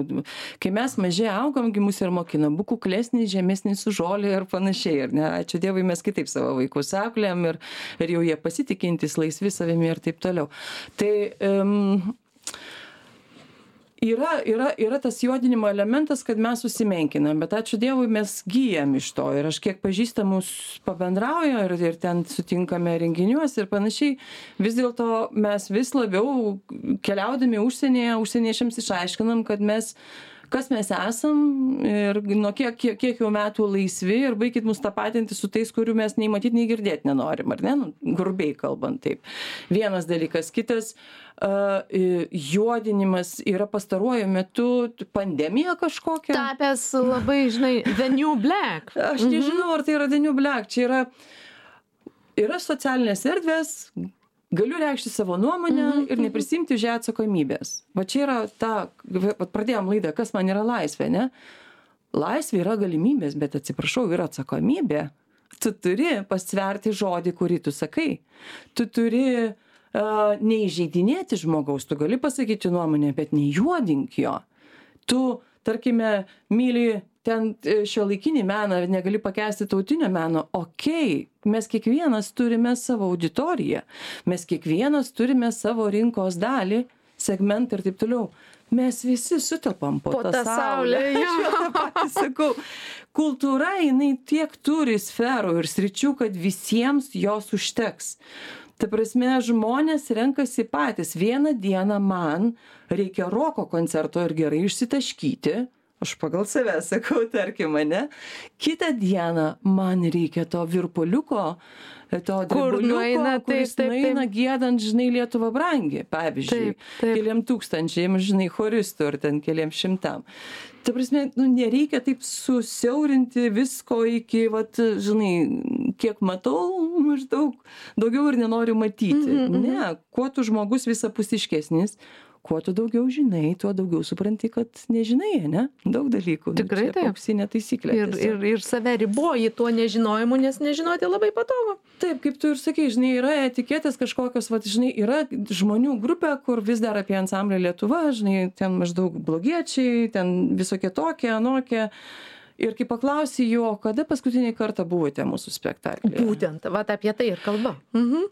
Speaker 2: kai mes mažai augam, gi mus ir mokina, būk kuklesnis, žemesnis už žolę ir panašiai, ir ne, ačiū Dievui, mes kitaip savo vaikus auklėjam ir, ir jau jie pasitikintis, laisvi savimi ir taip toliau. Tai um, yra, yra, yra tas juodinimo elementas, kad mes susimenkinam, bet ačiū Dievui mes gyjam iš to ir aš kiek pažįstamus pabendrauju ir, ir ten sutinkame renginiuose ir panašiai, vis dėlto mes vis labiau keliaudami užsienyje, užsieniečiams išaiškinam, kad mes kas mes esam ir nuo kiek, kiek, kiek jau metų laisvi ir baikit mus tapatinti su tais, kurių mes nei matyti, nei girdėti nenorim, ar ne? Nu, grubiai kalbant taip. Vienas dalykas. Kitas, uh, juodinimas yra pastaruoju metu pandemija kažkokia.
Speaker 1: Tapęs labai, žinai, the new black.
Speaker 2: Aš nežinau, ar tai yra the new black. Čia yra, yra socialinės erdvės, galiu reikšti savo nuomonę mm -hmm. ir neprisimti už ją atsakomybės. Va čia yra ta, va, pradėjom laidą, kas man yra laisvė, ne? Laisvė yra galimybės, bet atsiprašau, yra atsakomybė. Tu turi pasverti žodį, kurį tu sakai. Tu turi uh, neįžeidinėti žmogaus, tu gali pasakyti nuomonę, bet nejuodink jo. Tu, tarkime, myli ten šiuolaikinį meną, negali pakęsti tautinio meno, okei, mes kiekvienas turime savo auditoriją, mes kiekvienas turime savo rinkos dalį, segmentą ir taip toliau. Mes visi sutelpam po,
Speaker 1: Po
Speaker 2: tą
Speaker 1: tą
Speaker 2: saulę.
Speaker 1: saulę, jo.
Speaker 2: Aš jau tą patį sakau. Kultūra, jinai tiek turi sferų ir sričių, kad visiems jos užteks. Ta prasme, žmonės renkasi patys. Vieną dieną man reikia roko koncerto ir gerai išsitaškyti. Aš pagal save sakau, tarkim, ne? Kitą dieną man reikia to virpuliuko, to dribuliuko, kuris nueina giedant, žinai, Lietuva brangi, pavyzdžiui,
Speaker 1: Taip, taip.
Speaker 2: keliam tūkstančiam, žinai, choristų ir ten keliam šimtam. Ta prasme, nu, nereikia taip susiaurinti visko iki, vat, žinai, kiek matau, maždaug daugiau ir nenoriu matyti.
Speaker 1: Mhm, mhm.
Speaker 2: Ne, kuo tu žmogus visapusiškesnis, kuo tu daugiau žinai, tuo daugiau supranti, kad nežinai, ne? Daug dalykų.
Speaker 1: Tikrai
Speaker 2: nu,
Speaker 1: taip.
Speaker 2: Auksinė taisyklė.
Speaker 1: Ir, ir, ir save riboji tuo nežinojimu, nes nežinoti labai patogu.
Speaker 2: Taip, kaip tu ir sakai, žinai, yra etiketės kažkokios, va, žinai, yra žmonių grupė, kur vis dar apie ansamblį Lietuva, žinai, ten maždaug blogiečiai, ten visokie tokie, anokie. Ir kai paklausė jo, kada paskutinį kartą buvote mūsų spektaklyje?
Speaker 1: Būtent, va apie tai ir kalba. Mhm.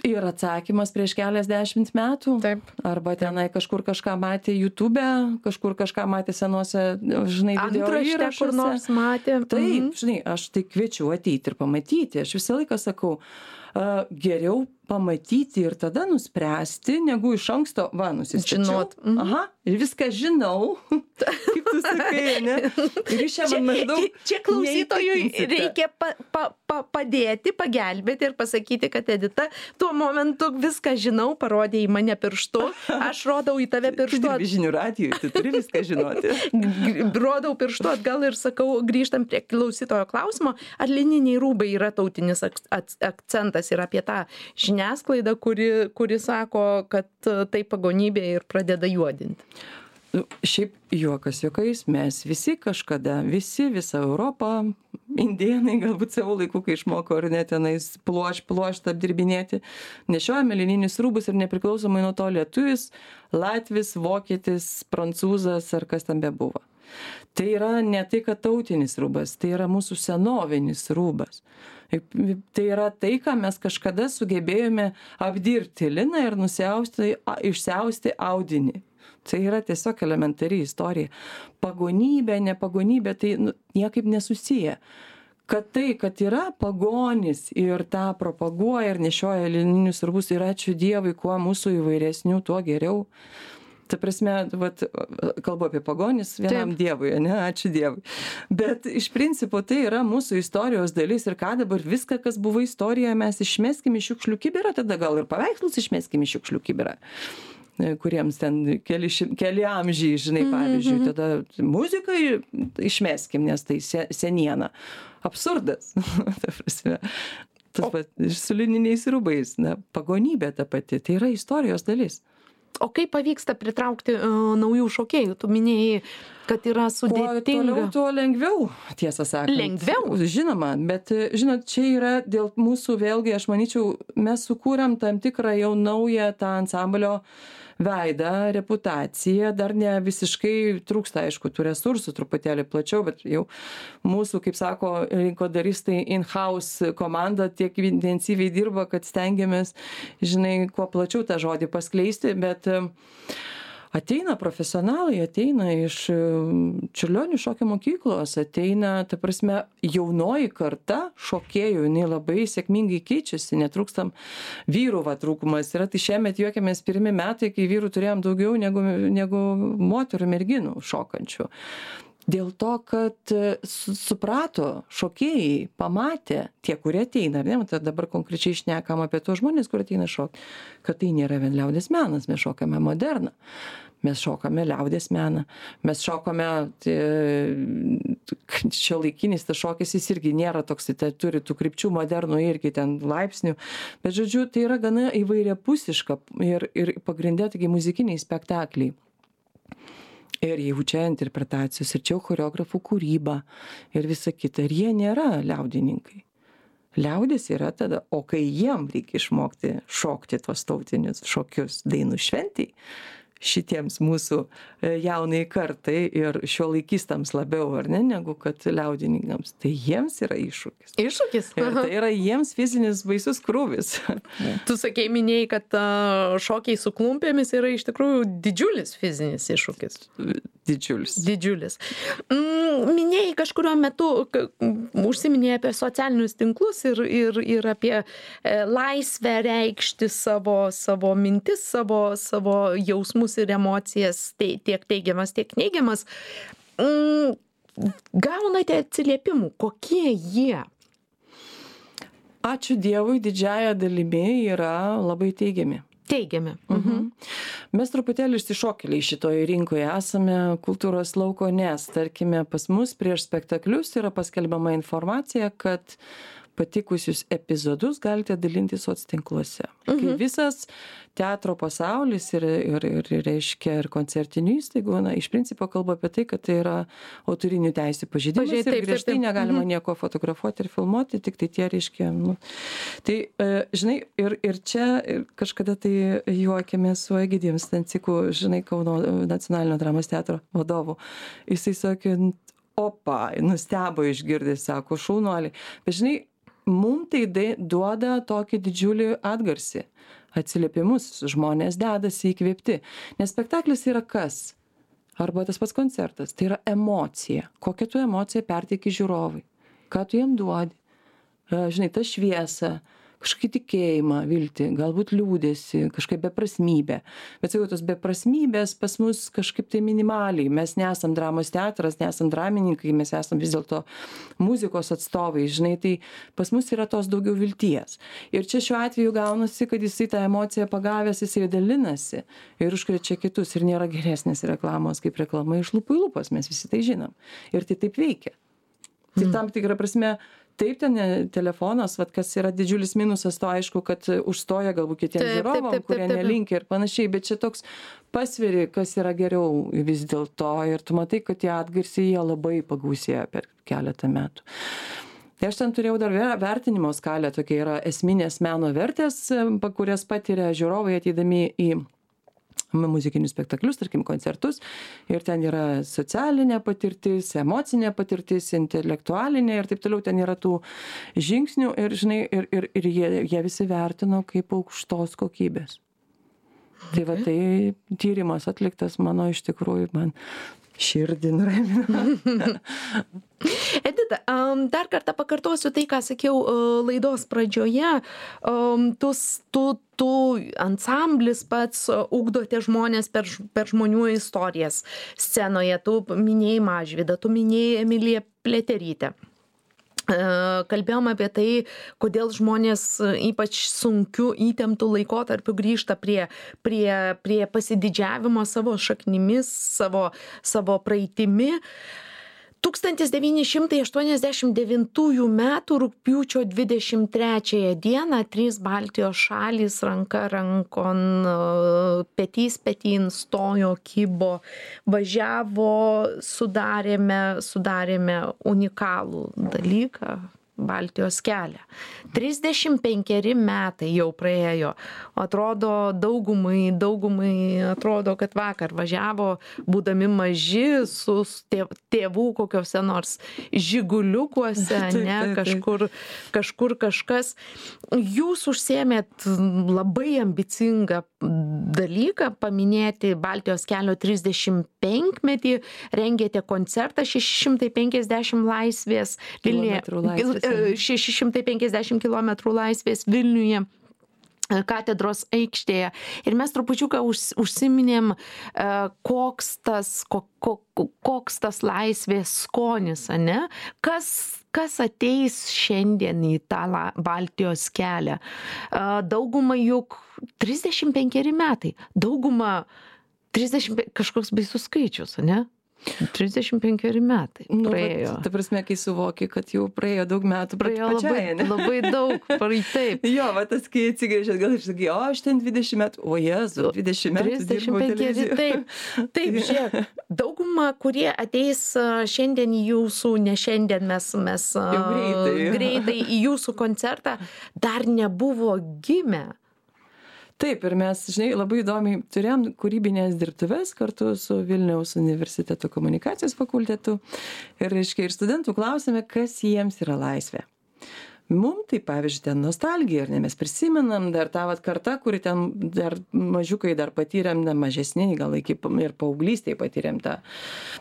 Speaker 2: Ir atsakymas prieš keliasdešimt metų.
Speaker 1: Taip.
Speaker 2: Arba tenai kažkur kažką matė YouTube, kažkur kažką matė senuose, žinai, video
Speaker 1: Antraštę
Speaker 2: įrašuose.
Speaker 1: kur nors matė.
Speaker 2: Taip,
Speaker 1: Mhm.
Speaker 2: žinai, aš tai kviečiu ateiti ir pamatyti. Aš visą laiką sakau, uh, geriau pamatyti ir tada nuspręsti, negu iš anksto, va, nusistačiau.
Speaker 1: Žinot. Mhm.
Speaker 2: Aha, ir viską žinau. Kaip tu sakai, ne? Ir iš čia man maždaug.
Speaker 1: Čia, čia klausytojui
Speaker 2: neįtikinsite.
Speaker 1: reikia pa, pa, pa, padėti, pagelbėti ir pasakyti, kad Edita, tuo momentu viską žinau, parodė į mane pirštu, aš rodau į tave
Speaker 2: Tu
Speaker 1: pirštu.
Speaker 2: dirbi žinių radijui, tu turi viską žinoti.
Speaker 1: G- Rodau pirštu atgal ir sakau, grįžtam prie klausytojo klausimo, ar lininiai rūbai yra tautinis ak- ak- akcentas ir apie tą žiniasklaidą, kuri, kuri sako, kad e, tai pagonybė ir pradeda juodinti.
Speaker 2: Nu, šiaip juokas juokais, mes visi kažkada, visi, visa Europa, indėnai galbūt savo laiku, kai išmoko ar net tenais pluoš, pluoštą apdirbinėti, nešiojame lininius rūbus ir nepriklausomai nuo to lietuvis, latvis, vokietis, prancūzas ar kas tam bebuvo. Tai yra ne tai, kad tautinis rūbas, tai yra mūsų senovinis rūbas. Tai yra tai, ką mes kažkada sugebėjome apdirbti liną ir nusiausti, išsiausti audinį. Tai yra tiesiog elementari istorija. Pagonybė, nepagonybė, tai nu, niekaip nesusiję. Kad tai, kad yra pagonis ir tą propaguoja ir nešioja lininius rūbus ir ačiū Dievui, kuo mūsų įvairesnių, tuo geriau. Ta prasme, vat, kalbu apie pagonis vienam Taip. Dievui, ne, ačiū Dievui. Bet iš principo tai yra mūsų istorijos dalis ir ką dabar viską, kas buvo istorija, mes išmeskim į šiukšlių kibirą, tada gal ir paveikslus išmeskim į šiukšlių kibirą, kuriems ten keli, keli amžiai, žinai, pavyzdžiui, mm-hmm. tada muziką išmeskim, nes tai seniena. Absurdas. Ta prasme. Tas pat, su lininiais rūbais, na, pagonybė ta pati, tai yra istorijos dalis.
Speaker 1: O kaip pavyksta pritraukti uh, naujų šokėjų? Tu minėjai, kad yra sudėtinga.
Speaker 2: Kuo toliau, tuo lengviau, tiesą sakant.
Speaker 1: Lengviau?
Speaker 2: Žinoma, bet, žinot, čia yra dėl mūsų, vėlgi, aš manyčiau, mes sukūrėm tam tikrą jau naują tą ansamblio veidą, reputaciją, dar ne visiškai trūksta, aišku, tų resursų truputėlį plačiau, bet jau mūsų, kaip sako, rinkodaristai in-house komanda tiek intensyviai dirba, kad stengiamės, žinai, kuo plačiau tą žodį paskleisti, bet ateina profesionalai, ateina iš Čiurlionio šokio mokyklos, ateina, ta prasme, jaunoji karta šokėjų, jinai labai sėkmingai keičiasi, netrūkstam vyrų va trūkumas. Yra tai šiemet juokiamės pirmi metai, kai vyrų turėjom daugiau negu, negu moterų merginų šokančių. Dėl to, kad suprato šokėjai, pamatė tie, kurie ateina, ne, tai dabar konkrečiai šnekam apie tos žmonės, kurie ateina šokti, kad tai nėra vien liaudės menas, mes šokame moderną, mes šokame liaudės meną, mes šokame, šiuolaikinis tas šokis, jis irgi nėra toks, tai turi tų krypčių modernų irgi ten laipsnių, bet žodžiu, tai yra gana įvairiapusiška ir, ir pagrindė taigi muzikiniai spektakliai. Ir jau čia interpretacijos, ir čia choreografų kūryba, ir visa kita. Ir jie nėra liaudininkai. Liaudis yra tada, o kai jiem reikia išmokti šokti tos tautinius šokius dainų šventėj, šitiems mūsų jaunai kartai ir šiuolaikistams labiau, ar ne, negu kad liaudininkams. Tai jiems yra iššūkis.
Speaker 1: Iššūkis?
Speaker 2: Ir tai yra jiems fizinis baisus krūvis.
Speaker 1: Tu sakei, minėjai, kad uh, šokiai su klumpėmis yra iš tikrųjų didžiulis fizinis iššūkis.
Speaker 2: Didžiulis.
Speaker 1: Didžiulis. Mm, minėjai kažkurio metu, užsiminėjai apie socialinius tinklus ir, ir, ir apie e, laisvę reikšti savo, savo mintis, savo, savo jausmus ir emocijas, tai, tiek teigiamas, tiek neigiamas. Mm, gaunate atsiliepimų, kokie jie?
Speaker 2: Ačiū Dievui, didžiąja dalimi yra labai teigiami.
Speaker 1: Teigiami.
Speaker 2: Mhm. Mes truputėlį išsišokėliai šitoje rinkoje esame kultūros lauko, nes, tarkime, pas mus prieš spektaklius yra paskelbiama informacija, kad patikusius epizodus galite dalinti soctinkluose. Mhm. Kai visas teatro pasaulis ir, ir, ir, ir reiškia ir koncertinių įstaigų, na, iš principo kalba apie tai, kad tai yra autorinių teisių pažeidimas
Speaker 1: Pažiūrėt,
Speaker 2: ir
Speaker 1: taip,
Speaker 2: griežtai
Speaker 1: taip, taip.
Speaker 2: negalima
Speaker 1: Mhm.
Speaker 2: nieko fotografuoti ir filmuoti, tik tai tie reiškia. Nu. Tai, e, žinai, ir, ir čia ir kažkada tai juokėmės su Egidijum Stanciku, žinai, Kauno nacionalinio dramos teatro vadovu. Jisai sakė, opa, nustebo išgirdęs, sako, šaunuoliai. Bet žinai, mum tai duoda tokį didžiulį atgarsį, atsiliepimus, žmonės dedasi įkvėpti. Nes spektaklis yra kas? Arba tas pats koncertas, tai yra emocija. Kokią tu emociją perteiki žiūrovui? Ką tu jam duodi? Žinai, tą šviesą, kažkokį tikėjimą, viltį, galbūt liūdėsi, kažkaip beprasmybę. Bet sakau, tos beprasmybės pas mus kažkaip tai minimaliai. Mes nesam dramos teatras, nesam dramininkai, mes esam vis dėlto muzikos atstovai, žinai, tai pas mus yra tos daugiau vilties. Ir čia šiuo atveju gaunasi, kad jisai tą emociją pagavęs, jisai dalinasi ir užkrečia kitus. Ir nėra geresnės reklamos kaip reklama iš lūpų į lūpas, mes visi tai žinom. Ir tai taip veikia. Tai tam tikrą prasme, taip, ten telefonas, vat, kas yra didžiulis minusas, to aišku, kad užstoja galbūt kitiems
Speaker 1: Taip, taip,
Speaker 2: žiūrovam,
Speaker 1: taip, taip,
Speaker 2: kurie
Speaker 1: taip.
Speaker 2: nelinkia ir panašiai, bet čia toks pasveri, kas yra geriau vis dėlto ir tu matai, kad tie atgarsiai jie labai pagausėjo per keletą metų. Tai aš ten turėjau dar ver- vertinimo skalę, tokia yra esminės meno vertės, pa- kurias patiria žiūrovai ateidami į muzikinius spektaklius, tarkim, koncertus. Ir ten yra socialinė patirtis, emocinė patirtis, intelektualinė ir taip toliau. Ten yra tų žingsnių ir, žinai, ir, ir, ir jie, jie visi vertino kaip aukštos kokybės. Tai va, tai tyrimas atliktas mano iš tikrųjų man širdį nuramino.
Speaker 1: Edita, am, dar kartą pakartosiu tai, ką sakiau e, laidos pradžioje. Am, Tu, tu, tu ansamblis pats e, ugdote žmonės per, ž- per žmonių istorijas scenoje. Tu minėjai Mažvydą, tu minėjai Emiliją Pliaterytę. E, Kalbėjom apie tai, kodėl žmonės e, ypač sunkiu įtemptų laikotarpiu grįžta prie, prie, prie pasididžiavimo savo šaknimis, savo, savo praeitimi. tūkstantis devyni šimtai aštuoniasdešimt devintųjų metų rugpjūčio dvidešimt trečiąją dieną trys Baltijos šalys ranka rankon, e, petys petin stojo, kibo, važiavo, sudarėme, sudarėme unikalų dalyką. Baltijos kelią. trisdešimt penkeri metai jau praėjo. Atrodo daugumai, daugumai atrodo, kad vakar važiavo, būdami maži, su tėv- tėvų kokiuose nors žiguliukuose,
Speaker 2: Taip,
Speaker 1: ne,
Speaker 2: taip, taip.
Speaker 1: kažkur, kažkur kažkas. Jūs užsiėmėt labai ambicingą dalyką, paminėti Baltijos kelio trisdešimt penkmetį, rengėte koncertą šeši šimtai penkiasdešimt laisvės Vilniuje.
Speaker 2: Kilometrų laisvės,
Speaker 1: e, šeši šimtai penkiasdešimt kilometrų laisvės Vilniuje, e, katedros aikštėje. Ir mes trupučiuką už, užsiminėm, e, koks tas, ko, ko, koks tas laisvės skonis, ane? Kas, kas ateis šiandien į tą la, Baltijos kelią? E, Dauguma juk trisdešimt penkeri metai. Dauguma trisdešimt pe- kažkoks baisus skaičius, ane? trisdešimt penkeri metai
Speaker 2: Nu,
Speaker 1: praėjo.
Speaker 2: vat, ta prasme, kai suvoki, kad jau praėjo daug metų, bet
Speaker 1: Praėjo labai,
Speaker 2: pačiai, ne?
Speaker 1: labai daug, praei taip.
Speaker 2: Jo, va tas, kai atsigrėžėt, gal aš sakai, o aš ten dvidešimt metų, o jezu, dvidešimt metų
Speaker 1: trisdešimt
Speaker 2: dirbau
Speaker 1: penkeri,
Speaker 2: televizijoje.
Speaker 1: taip. Taip, žiūrėk, dauguma, kurie ateis a, šiandien į jūsų, ne šiandien mes, mes a,
Speaker 2: Jau greitai, jo.
Speaker 1: greitai į jūsų koncertą, dar nebuvo gimę.
Speaker 2: Taip, ir mes, žinai, labai įdomiai turėjom kūrybinės dirbtuves kartu su Vilniaus universiteto komunikacijos fakultetu. Ir, reiškia, ir studentų klausėme, kas jiems yra laisvė. Mum tai, pavyzdžiui, ten nostalgija, ar ne, mes prisimenam dar tą vat kartą, kuri ten dar mažiukai dar patyrėm, na, mažesni, gal iki pa- ir paauglystėje patyrėm tą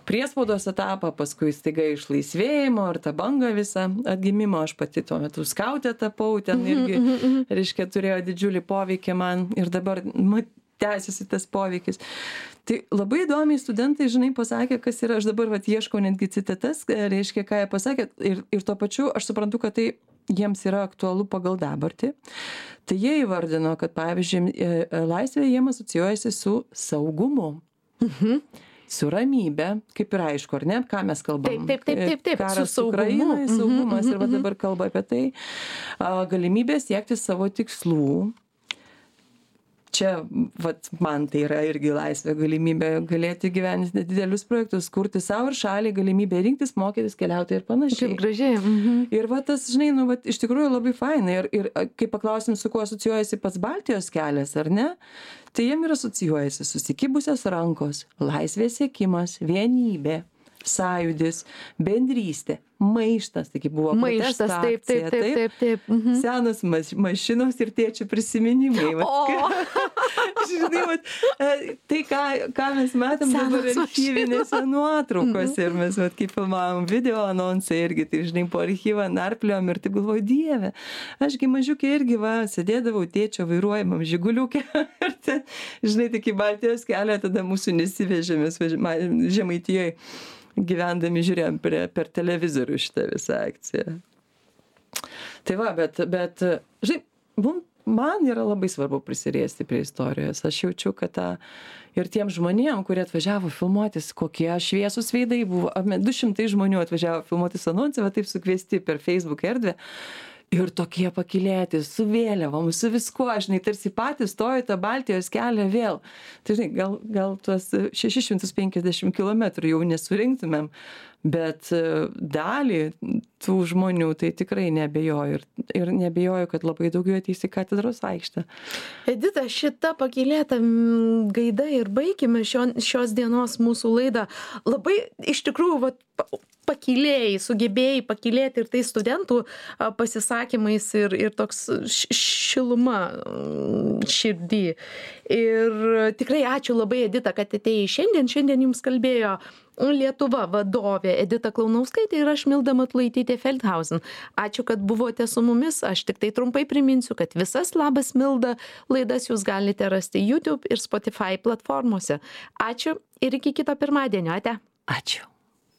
Speaker 2: priespaudos etapą, paskui staiga išlaisvėjimo ir tą bangą visą atgimimo. Aš pati tuo metu skautė tapau, ten irgi, reiškia, turėjo didžiulį poveikį man ir dabar ma- tęsiasi tas poveikis. Tai labai įdomiai studentai, žinai, pasakė, kas yra, aš dabar vat ieškau netgi citatas, reiškia, ką jie pasakė, ir, ir tuo pačiu aš suprantu, kad tai jiems yra aktualu pagal dabartį. Tai jie įvardino, kad, pavyzdžiui, e, e, laisvė jiems asocijuojasi su saugumu. su ramybe, kaip ir aišku, ar ne, ką mes kalbam.
Speaker 1: Taip, taip, taip, taip,
Speaker 2: karas su Ukrainoje, saugumas, ir va dabar kalba apie tai, galimybė siekti savo tikslų. Čia, vat, man tai yra irgi laisvė, galimybė galėti gyventi nedidelius projektus, kurti savo ir šaliai, galimybė rinktis, mokytis, keliauti ir panašiai.
Speaker 1: Kaip gražiai. Mhm.
Speaker 2: Ir va tas, žinai, nu, va, iš tikrųjų labai fainai. Ir, ir kai paklausim, su kuo asocijuojasi pats Baltijos kelias, ar ne, tai jiem ir asocijuojasi susikibusios rankos, laisvės siekimas, vienybė, sąjūdis, bendrystė, maištas, taigi buvo
Speaker 1: Maištas, taip, taip, taip, taip, taip. Mhm.
Speaker 2: Senos maš, mašinos ir tėčių prisiminimai. Vat,
Speaker 1: O,
Speaker 2: žinai, vat, tai ką, ką mes matėm dabar
Speaker 1: Senos
Speaker 2: archyvinėse nuotraukose ir mes, vat, kai filmavom video anonsą irgi, tai žinai, po archyvą narpliom ir taip galvoju, Dieve, ašgi mažiukė irgi, va, sėdėdavau tėčio vairuojamam žiguliukė ir ten, žinai, tik į Baltijos kelią tada mūsų nesivežėmės Žemaitijoje gyvendami žiūrėjom per, per televizorių šitą visą akciją. Tai va, bet, bet žinai, mum, man yra labai svarbu prisiriesti prie istorijos. Aš jaučiu, kad ta, ir tiem žmonėm, kurie atvažiavo filmuotis, kokie šviesūs veidai buvo, du šimtai žmonių atvažiavo filmuotis anonsą, va taip sukviesti per Facebook erdvę. Ir tokie pakylėti, su vėliavom, su viskuo, žinai, tarsi patys stojo tą Baltijos kelią vėl. Tai, žinai, gal, gal tuos šešis šimtus penkiasdešimt kilometrų jau nesurinktumėm, bet dalį tų žmonių tai tikrai neabejoju. Ir, ir neabejoju, kad labai daug jų ateis į katedros aikštę.
Speaker 1: Edita, šita pakylėta gaida ir baigime šio, šios dienos mūsų laidą. Labai, iš tikrųjų, va, pakylėjai, sugebėjai pakylėti ir tai studentų pasisakymais ir, ir toks šiluma širdį. Ir tikrai ačiū labai, Edita, kad atėjai šiandien. Šiandien jums kalbėjo Lietuva vadovė Edita Klaunauskaitė ir aš Milda Matulaitytė Feldhausen. Ačiū, kad buvote su mumis. Aš tik tai trumpai priminsiu, kad visas Labas Milda laidas jūs galite rasti YouTube ir Spotify platformose. Ačiū ir iki kito pirmadienio. Ate.
Speaker 2: Ačiū.